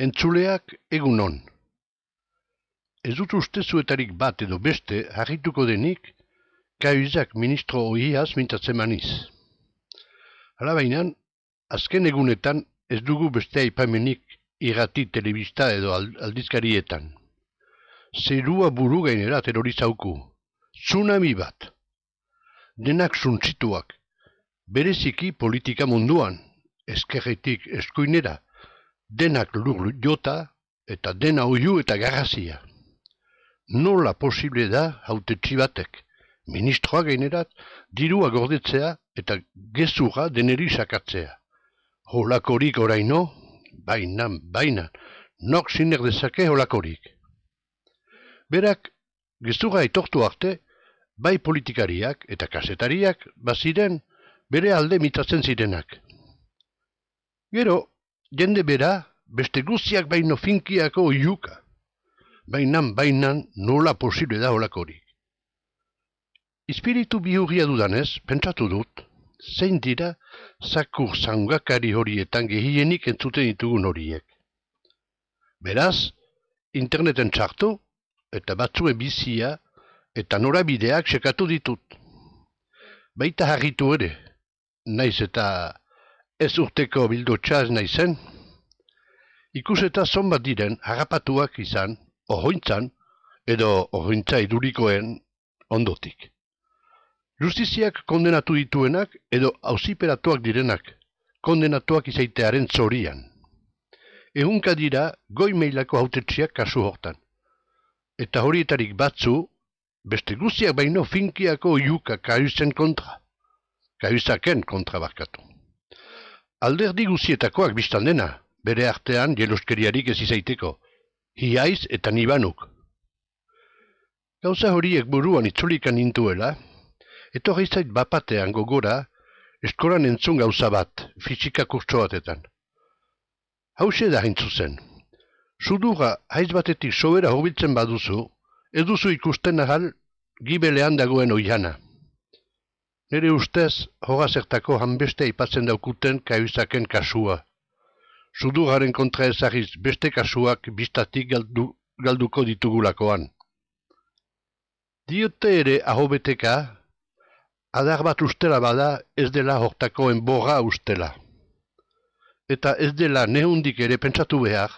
Entzuleak egunon. Ez dut uste zuetarik bat edo beste harrituko denik Cahuzac ministro ohiaz mintzatzen maniz. Hala bainan, azken egunetan ez dugu beste aipamenik irrati, telebista edo aldizkarietan. Zerua buru gainera terrorizauku. Tsunami bat. Denak suntzituak. Bereziki politika munduan, eskerretik eskuinera, denak lur jota eta dena oiu eta garrazia. Nola posible da hautetsi batek, ministroa gainerat, dirua gordetzea eta gezurra deneri sakatzea. Holakorik oraino, bainan, nok siner dezake holakorik. Berak, gezurra etortu arte, bai politikariak eta kasetariak baziren bere alde mitatzen zirenak. Gero, jende bera, beste guztiak baino finkiako oiuka. Bainan, nola posible da holakorik. Espiritu bihurria dudanez, pentsatu dut, zein dira zakur zangakari horietan gehienik entzuten ditugun horiek. Beraz, interneten txartu, eta batzuen bizia, eta norabideak sekatu ditut. Baita harritu ere, naiz eta ez urteko bildotxa ez naizen, ikuseta zonbat diren harrapatuak izan, ohointzan, edo ohointza idurikoen ondotik. Justiziak kondenatu dituenak edo auziperatuak direnak, kondenatuak izaitearen zorian. Ehunka dira goi mailako hautetsiak kasu hortan. Eta horietarik batzu, beste guztiak baino finkiako oiuka Cahuzacen kontra barkatu. Alderdi guztietakoak biztan dena, bere artean jeloskeriarik ez izaiteko, hiaiz eta nibanuk. Gauza horiek buruan itzulikan nintuela, etorri zait bapatean gogora, eskolan entzun gauza bat, fisika kurtso batetan. Hauxe da hain zuzen. Sudurra haiz batetik sobera hobiltzen baduzu, eduzu ikusten ahal gibelean dagoen oihana. Nere ustez, hogazertako hanbeste aipatzen daukuten Cahuzacen kasua. Sudurraren kontra ezagiz beste kasuak bistatik galduko ditugulakoan. Diote ere ahobeteka, adar bat ustela bada ez dela hortako enborra ustela. Eta ez dela nehundik ere pentsatu behar,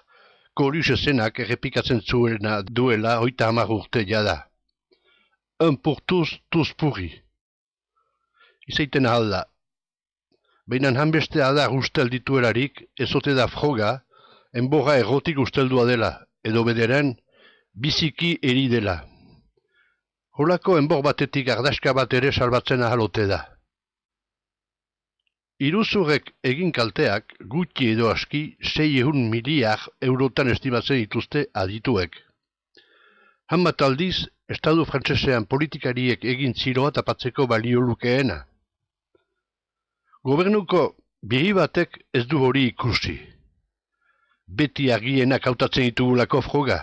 Coluche zenak errepikatzen zuena duela 30 urte jada. Un pour tous pourri. Izaiten ahal da. Bainan hanbeste adar ustel dituelarik, ezote da froga, enborra errotik usteldua dela, edo bederen, biziki eri dela. Holako enbor batetik ardaska bat ere salbatzen ahalote da. Iruzurrek egin kalteak gutxi edo aski 600 miliar eurotan estimatzen dituzte adituek. Hanbat aldiz, Estadu frantsesean politikariek egin ziroa tapatzeko balio lukeena. Gobernuko biri batek ez du hori ikusi. Beti argienak hautatzen ditugulako froga.